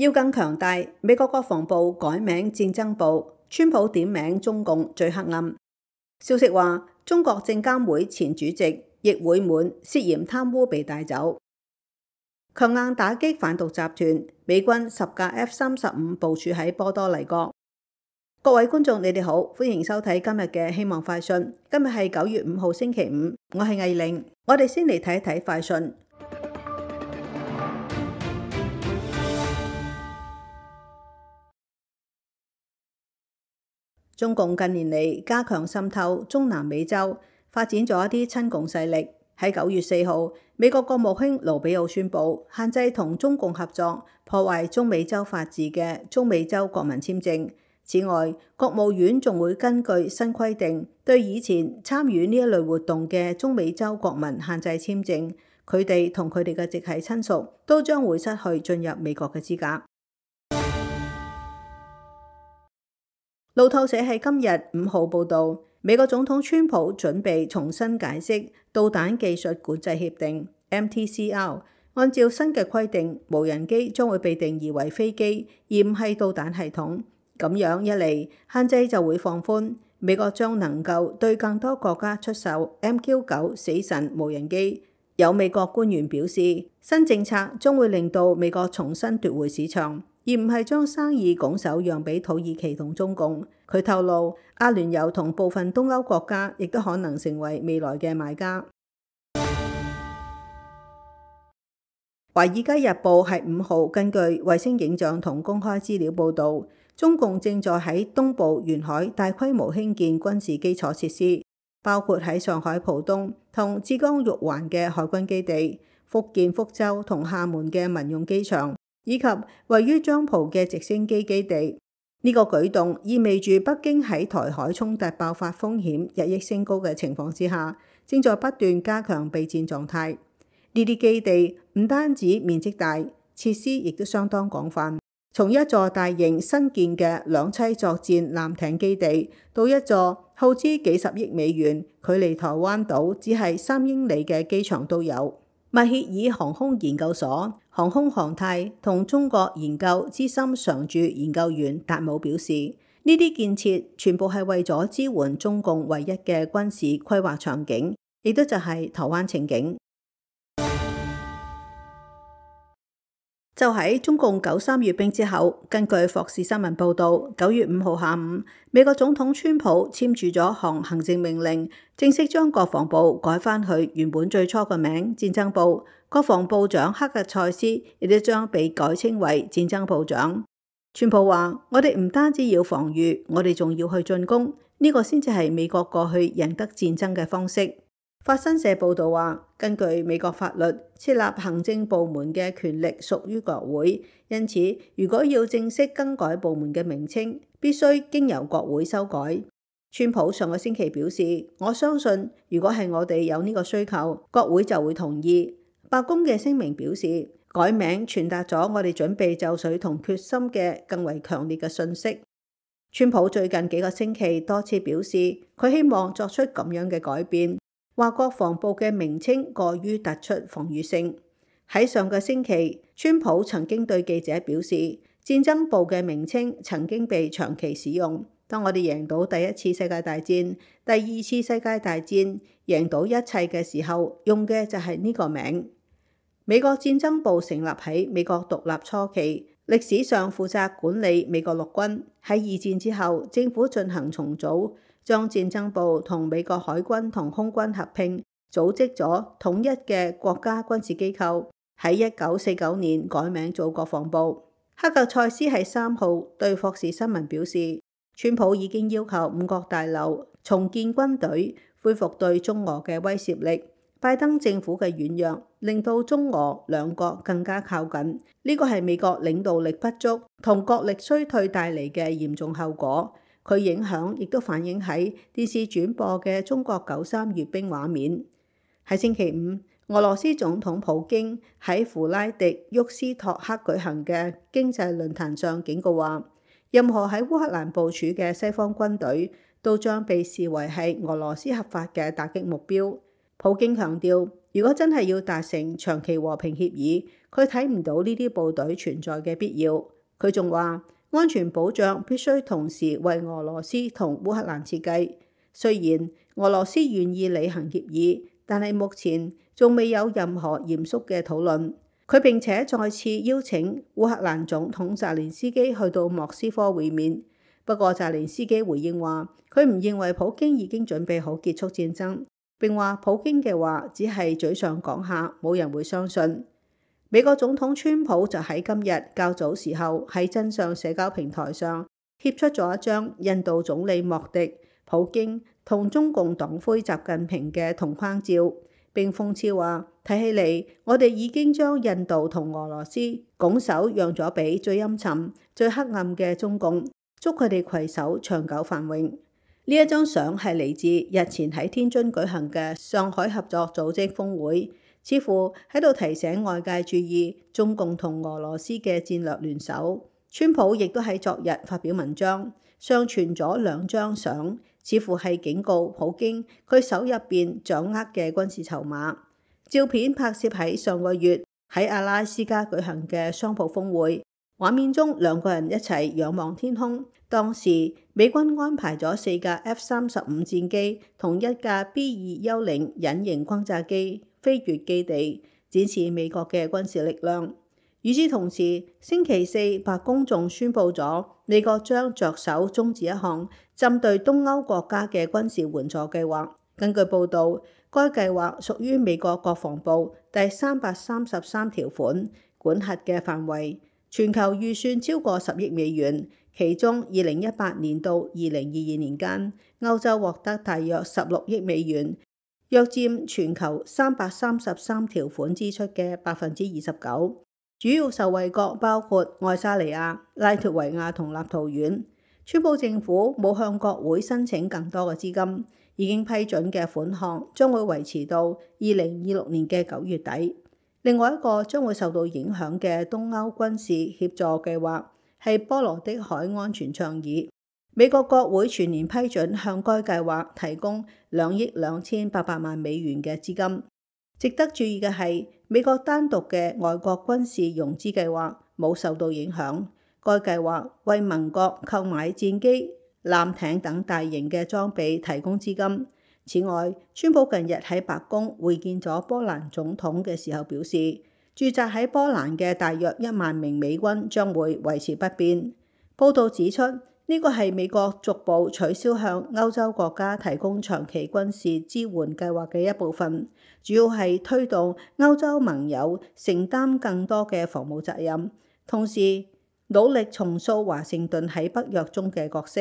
要更強大，美國國防部改名戰爭部，川普點名中共最黑暗。消息話，中國證監會前主席易會滿涉嫌貪污被帶走。強硬打擊販毒集團，美軍10架 F-35部署喺波多黎各。各位觀眾，你哋好，歡迎收睇今日嘅希望快訊。今日係9月5號星期五，我係藝玲。我哋先嚟睇一睇快訊。中共近年嚟加強滲透中南美洲，發展咗一啲親共勢力。喺9月4號，美國國務卿盧比奧宣布限制同中共合作破壞中美洲法治嘅中美洲國民簽證。此外，國務院仲會根據新規定，對以前參與呢一類活動嘅中美洲國民限制簽證，佢哋同佢哋嘅直系親屬都將會失去進入美國嘅資格。路透社喺今日5號報導，美國總統川普準備重新解釋導彈技術管制協定 MTCR。按照新嘅規定，無人機將會被定義為飛機，而唔係導彈系統。咁樣一嚟，限制就會放寬，美國將能夠對更多國家出售 MQ-9 死神無人機。有美國官員表示，新政策將會令到美國重新奪回市場，而唔係將生意拱手讓俾土耳其同中共。佢透露，阿聯酋同部分東歐國家亦都可能成為未來嘅買家。華爾街日報係5號根據衛星影像同公開資料報導，中共正在喺東部沿海大規模興建軍事基礎設施，包括喺上海浦東同浙江玉環嘅海軍基地、福建福州同廈門嘅民用機場，以及位於漳浦嘅直升機基地。呢個舉動意味住北京喺台海衝突爆發風險日益升高嘅情況之下，正在不斷加強備戰狀態。呢啲基地唔單止面積大，設施亦都相當廣泛。從一座大型新建嘅兩棲作戰艦艇基地，到一座耗資幾十億美元、距離台灣島只係3英里嘅機場都有。密歇爾航空研究所航空航太同中國研究資深常駐研究員達姆表示，呢啲建設全部係為咗支援中共唯一嘅軍事規劃場景，亦都就係台灣情景。就喺中共93閱兵之後，根據霍士新聞報導，9月5號下午，美國總統川普簽署咗項行政命令，正式將國防部改返去原本最初嘅名戰爭部。國防部長克格塞斯亦都將被改稱為戰爭部長。川普話：我哋唔單止要防禦，我哋仲要去進攻，呢個先至係美國過去贏得戰爭嘅方式。法新社報導話，根據美國法律，設立行政部門嘅權力屬於國會，因此如果要正式更改部門嘅名稱，必須經由國會修改。川普上個星期表示，我相信如果係我哋有呢個需求，國會就會同意。白宮嘅聲明表示，改名傳達咗我哋準備就緒同決心嘅更為強烈嘅訊息。川普最近幾個星期多次表示，佢希望作出咁樣嘅改變。話國防部嘅名稱過於突出防禦性。喺上個星期，川普曾經對記者表示，戰爭部嘅名稱曾經被長期使用。當我哋贏到第一次世界大戰、第二次世界大戰，贏到一切嘅時候，用嘅就係呢個名。美國戰爭部成立喺美國獨立初期，歷史上負責管理美國陸軍。喺二戰之後，政府進行重組，將戰爭部同美國海軍同空軍合併，組織咗統一嘅國家軍事機構。喺1949年改名做國防部。克格塞斯喺3號對霍士新聞表示，川普已經要求五角大樓重建軍隊，恢復對中俄嘅威懾力。拜登政府嘅軟弱令到中俄兩國更加靠近，呢個係美國領導力不足同國力衰退帶嚟嘅嚴重後果。佢影響亦都反映喺電視轉播嘅中國93閱兵畫面。喺星期五，俄羅斯總統普京喺弗拉迪沃斯托克舉行嘅經濟論壇上警告話，任何喺烏克蘭部署嘅西方軍隊都將被視為係俄羅斯合法嘅打擊目標。普京強調，如果真係要達成長期和平協議，佢睇唔到呢啲部隊存在嘅必要。佢仲話，安全保障必須同時為俄羅斯同烏克蘭設計。雖然俄羅斯願意履行協議，但係目前仲未有任何嚴肅嘅討論。佢並且再次邀請烏克蘭總統澤連斯基去到莫斯科會面。不過澤連斯基回應話，佢唔認為普京已經準備好結束戰爭，並話普京嘅話只係嘴上講下，冇人會相信。美國總統川普就喺今日較早時候喺真相社交平台上貼出咗一張印度總理莫迪、普京同中共黨魁習近平嘅同框照，並諷刺話，睇起嚟我哋已經將印度同俄羅斯拱手讓咗俾最陰沉、最黑暗嘅中共，祝佢哋攜手長久繁榮。呢一張相係嚟自日前喺天津舉行嘅上海合作組織峰會，似乎喺度提醒外界注意中共同俄羅斯嘅戰略聯手。川普亦都喺昨日發表文章，上傳咗兩張相，似乎係警告普京佢手入邊掌握嘅軍事籌碼。照片拍攝喺上個月喺阿拉斯加舉行嘅商鋪峰會，畫面中兩個人一齊仰望天空。當時美軍安排咗4架 F-35戰機同1架 B-2幽靈隱形轟炸機飛越基地，展示美國嘅軍事力量。與此同時，星期四白宮仲宣布咗美國將着手終止一項針對東歐國家嘅軍事援助計劃。根據報導，該計劃屬於美國國防部第333條款管轄嘅範圍，全球預算超過10億美元。其中2018年到2022年間，歐洲獲得大約16億美元，約佔全球333條款支出嘅29%。主要受惠國包括愛沙尼亞、拉脫維亞同立陶宛。川普政府冇向國會申請更多嘅資金，已經批准嘅款項將會維持到2026年嘅9月底。另外一個將會受到影響嘅東歐軍事協助計劃係波羅的海安全倡議。美國國會全年批准向該計劃提供2億2800萬美元嘅資金。值得注意嘅係，美國單獨嘅外國軍事融資計劃冇受到影響。該計劃為盟國購買戰機、艦艇等大型嘅裝備提供資金。此外，川普近日喺白宮會見咗波蘭總統嘅時候表示，駐紮喺波蘭嘅大約1萬名美軍將會維持不變。報道指出，呢個係美國逐步取消向歐洲國家提供長期軍事支援計劃嘅一部分，主要係推動歐洲盟友承擔更多嘅防務責任，同時努力重塑華盛頓喺北約中嘅角色。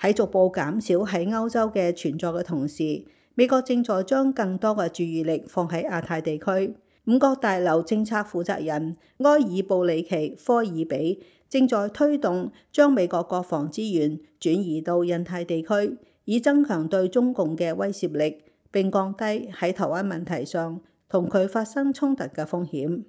喺逐步減少喺歐洲嘅存在嘅同時，美國正在將更多嘅注意力放喺亞太地區。五角大樓政策負責人埃爾布里奇科爾比正在推動將美國國防資源轉移到印太地區，以增強對中共嘅威懾力，並降低喺台灣問題上同佢發生衝突嘅風險。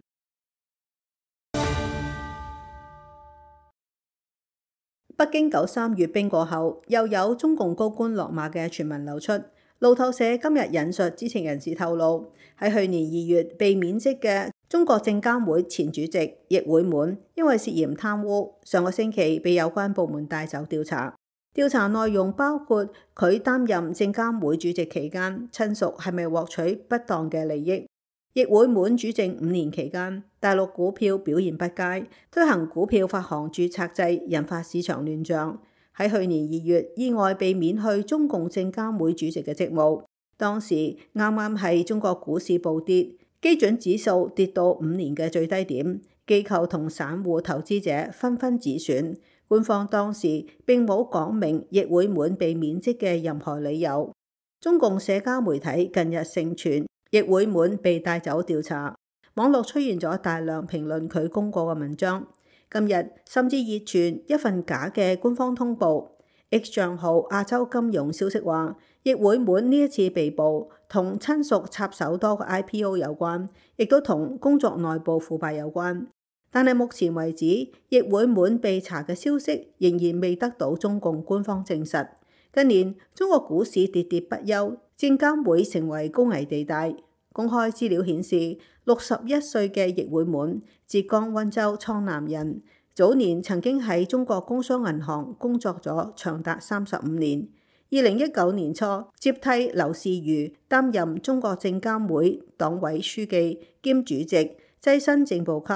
北京93閱兵過後，又有中共高官落馬嘅傳聞流出。路透社今日引述知情人士透露，喺去年2月被免職嘅中國證監會前主席易會滿，因為涉嫌貪污，上個星期被有關部門帶走調查。調查內容包括佢擔任證監會主席期間，親屬係咪獲取不當嘅利益。易會滿主政5年期間，大陸股票表現不佳，推行股票發行註冊制，引發市場亂象。喺去年2月，意外被免去中共證監會主席嘅職務。當時啱啱係中國股市暴跌，基準指數跌到5年嘅最低點，機構同散戶投資者紛紛止損。官方當時並冇講明易會滿被免職嘅任何理由。中共社交媒體近日盛傳易會滿被帶走調查，網絡出現咗大量評論佢功過嘅文章。今日甚至熱傳一份假嘅官方通報。X 賬號亞洲金融消息話，易會滿呢一次被捕同親屬插手多個 IPO 有關，亦都同工作內部腐敗有關。但係目前為止，易會滿被查嘅消息仍然未得到中共官方證實。近年中國股市跌跌不休，證監會成為高危地帶。公開資料顯示，61歲嘅易會滿，浙江溫州蒼南人，早年曾經喺中國工商銀行工作咗長達35年。2019年初接替劉士余擔任中國證監會黨委書記兼主席，躋身正部級。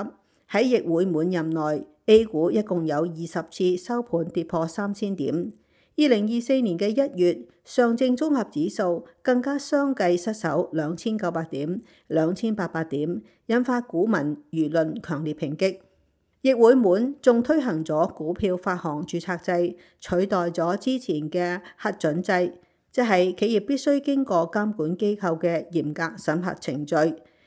喺易會滿任內 ，A 股一共有20次收盤跌破3000點。2024年嘅1月，上證綜合指數更加相繼失守2900點、2800點，引發股民輿論強烈抨擊。易會滿仲推行咗股票發行註冊制，取代咗之前嘅核准制，即係企業必須經過監管機構嘅嚴格審核程序，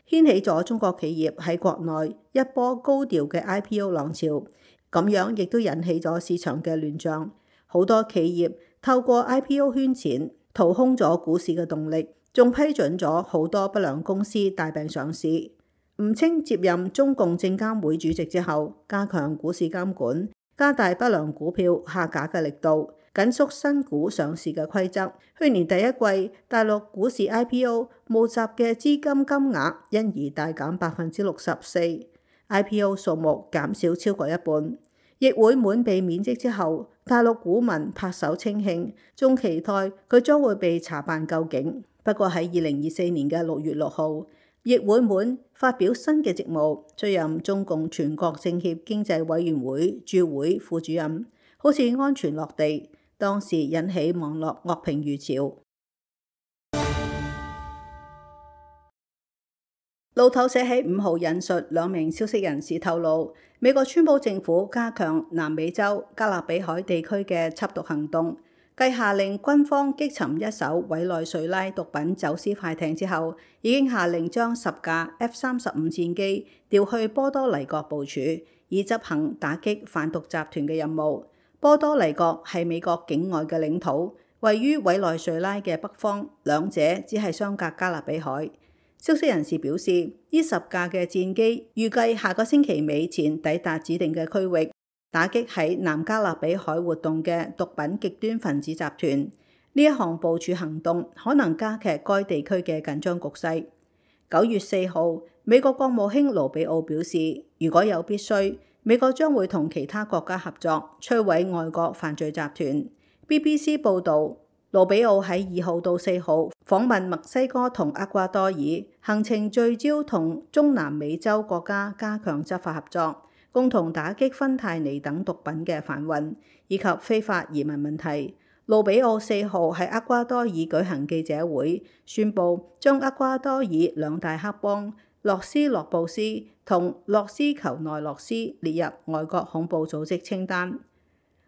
掀起咗中國企業喺國內一波高調嘅 IPO 浪潮。咁樣亦都引起咗市場嘅亂象，好多企業透過 IPO 圈錢，掏空咗股市嘅動力，仲批准咗好多不良公司大病上市。吳清接任中共證監會主席之後，加強股市監管，加大不良股票下架嘅力度，緊縮新股上市嘅規則。去年第一季，大陸股市 IPO 募集嘅資金金額因而大減64%，IPO 數目減少超過一半。易會滿被免職之後，大陸股民拍手稱慶，仲期待佢將會被查辦究竟。不過喺2024年嘅6月6號，易會滿發表新嘅職務，出任中共全國政協經濟委員會駐會副主任，好似安全落地，當時引起網絡惡評如潮。路透社喺5號引述2名消息人士透露，美國川普政府加強南美洲加勒比海地區嘅緝毒行動。繼下令軍方擊沉一艘委內瑞拉毒品走私快艇之後，已經下令將10架 F-35戰機調去波多黎各部署，以執行打擊販毒集團嘅任務。波多黎各係美國境外嘅領土，位於委內瑞拉嘅北方，兩者只係相隔加勒比海。消息人士表示，呢10架嘅戰機預計下個星期尾前抵達指定嘅區域，打擊喺南加勒比海活動嘅毒品極端分子集團。呢一項部署行動可能加劇該地區嘅緊張局勢。9月4號，美國國務卿盧比奧表示，如果有必須，美國將會同其他國家合作，摧毀外國犯罪集團。BBC 報導，盧比奧喺2號到4號訪問墨西哥同厄瓜多爾，行程聚焦同中南美洲國家加強執法合作，共同打擊芬太尼等毒品嘅販運以及非法移民問題。盧比奧4號喺厄瓜多爾舉行記者會，宣布將厄瓜多爾2大黑幫洛斯洛布斯同洛斯求內洛斯列入外國恐怖組織清單。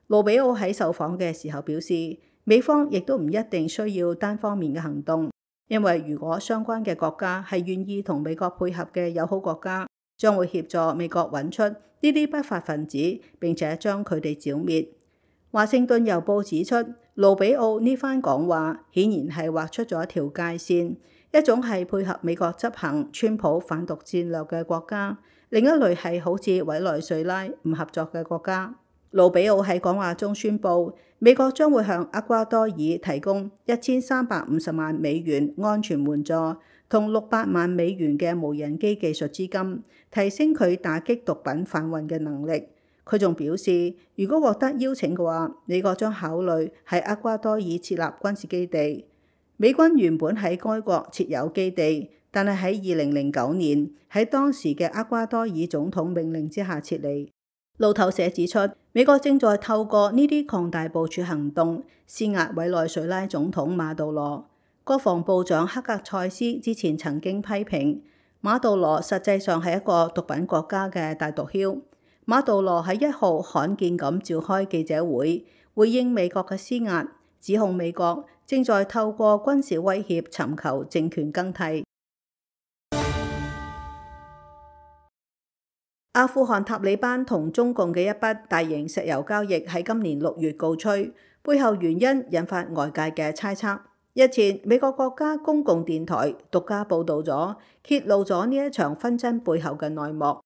盧比奧喺受訪嘅時候表示，美方亦都唔一定需要單方面嘅行動，因為如果相關嘅國家係願意同美國配合嘅友好國家，將會協助美國揾出呢啲不法分子，並且將佢哋剿滅。華盛頓郵報指出，盧比奧呢番講話顯然係劃出咗一條界線，一種係配合美國執行川普反毒戰略嘅國家，另一類係好似委內瑞拉唔合作嘅國家。盧比奧喺講話中宣布，美國將會向厄瓜多爾提供1350萬美元安全援助，同600萬美元嘅無人機技術資金，提升佢打擊毒品販運嘅能力。佢仲表示，如果獲得邀請嘅話，美國將考慮喺厄瓜多爾設立軍事基地。美軍原本喺該國設有基地，但係喺2009年喺當時嘅厄瓜多爾總統命令之下撤離。路透社指出，美國正在透過呢啲擴大部署行動，施壓委內瑞拉總統馬杜羅。國防部長克格塞斯之前曾經批評馬杜羅實際上係一個毒品國家嘅大毒梟。馬杜羅喺1號罕見咁召開記者會，回應美國嘅施壓，指控美國正在透過軍事威脅尋求政權更替。阿富汗塔利班同中共嘅一筆大型石油交易喺今年6月告吹，背後原因引發外界嘅猜測。日前，美國國家公共電台獨家報導咗，揭露咗呢一場紛爭背後嘅內幕。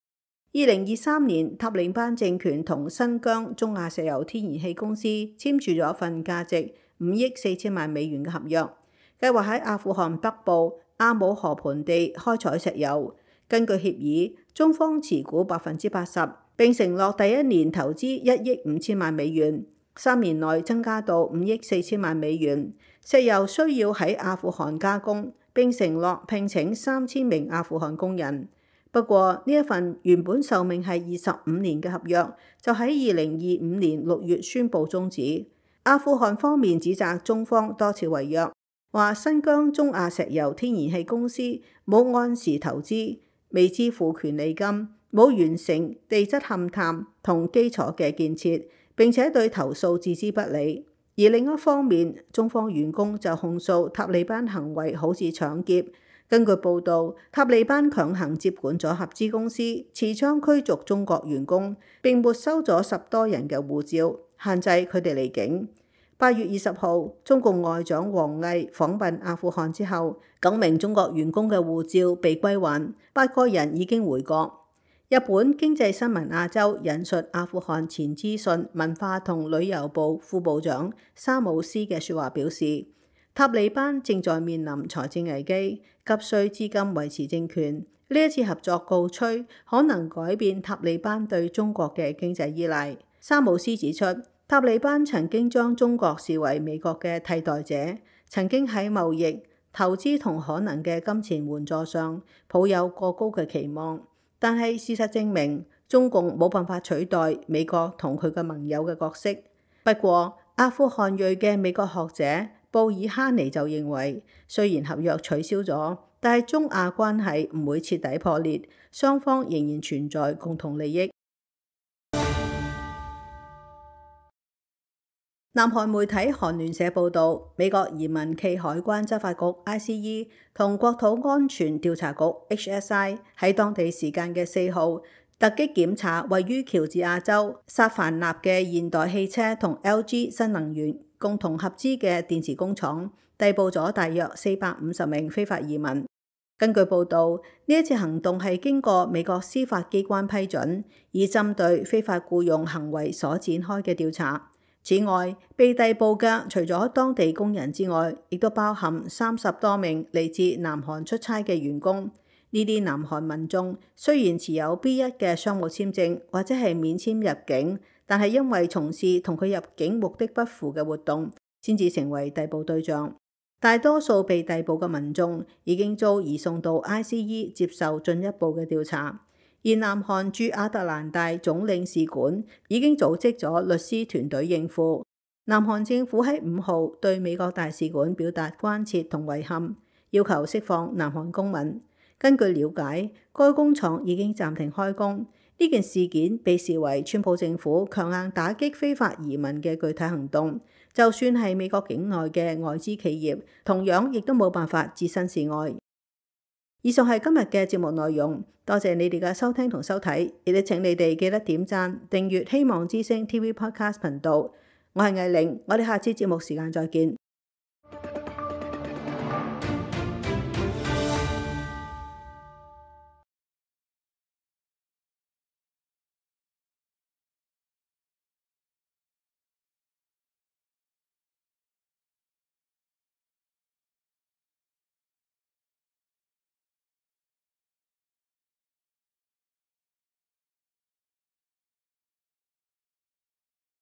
2023年，塔利班政權同新疆中亞石油天然氣公司簽署咗一份價值5億4千萬美元嘅合約，計劃喺阿富汗北部阿姆河盆地開採石油。根據協議，中方持股80%，並承諾第一年投資1億5千萬美元，3年內增加到5億4千萬美元。石油需要喺阿富汗加工，並承諾聘請3000名阿富汗工人。不過呢一份原本壽命係25年嘅合約，就喺2025年6月宣布終止。阿富汗方面指責中方多次違約，話新疆中亞石油天然氣公司冇按時投資，未支付權利金，冇完成地質勘探同基礎嘅建設，並且對投訴置之不理。而另一方面，中方員工就控訴塔利班行為好似搶劫。根據報導，塔利班強行接管咗合資公司，持槍驅逐中國員工，並沒收咗10多人嘅護照，限制佢哋離境。8月20號，中共外長王毅訪問阿富汗之後，9名中國員工嘅護照被歸還，8個人已經回國。日本經濟新聞亞洲引述阿富汗前資訊、文化同旅遊部副部長沙姆斯嘅説話表示，塔利班正在面臨財政危機，急需資金維持政權。呢一次合作告吹，可能改變塔利班對中國嘅經濟依賴。沙姆斯指出，塔利班曾經將中國視為美國嘅替代者，曾經喺貿易、投資同可能嘅金錢援助上抱有過高嘅期望。但係事實證明，中共冇辦法取代美國同佢嘅盟友嘅角色。不過，阿富汗裔嘅美國學者布爾哈尼就認為，雖然合約取消咗，但係中亞關係唔會徹底破裂，雙方仍然存在共同利益。南韓媒體韓聯社報導，美國移民暨海關執法局 ICE 同國土安全調查局 HSI 喺當地時間嘅4號突擊檢查位於喬治亞州薩凡納嘅現代汽車同 LG 新能源共同合資嘅電池工廠，逮捕咗大約450名非法移民。根據報導，呢一次行動係經過美國司法機關批准，以針對非法僱用行為所展開嘅調查。此外，被逮捕嘅除咗當地工人之外，亦都包含30多名嚟自南韓出差嘅員工。呢啲南韓民眾雖然持有 B1 嘅商務簽證或者係免簽入境，但係因為從事同佢入境目的不符嘅活動，先至成為逮捕對象。大多數被逮捕嘅民眾已經遭移送到 ICE 接受進一步嘅調查。而南韓駐亞特蘭大總領事館已經組織咗律師團隊應付。南韓政府喺5號對美國大使館表達關切同遺憾，要求釋放南韓公民。根據了解，該工廠已經暫停開工。呢件事件被視為川普政府強硬打擊非法移民嘅具體行動。就算係美國境內嘅外資企業，同樣亦都冇辦法置身事外。以上係今日嘅節目內容，多謝你哋嘅收聽同收睇，亦都請你哋記得點讚、訂閱希望之聲 TV Podcast 頻道。我係藝玲，我哋下次節目時間再見。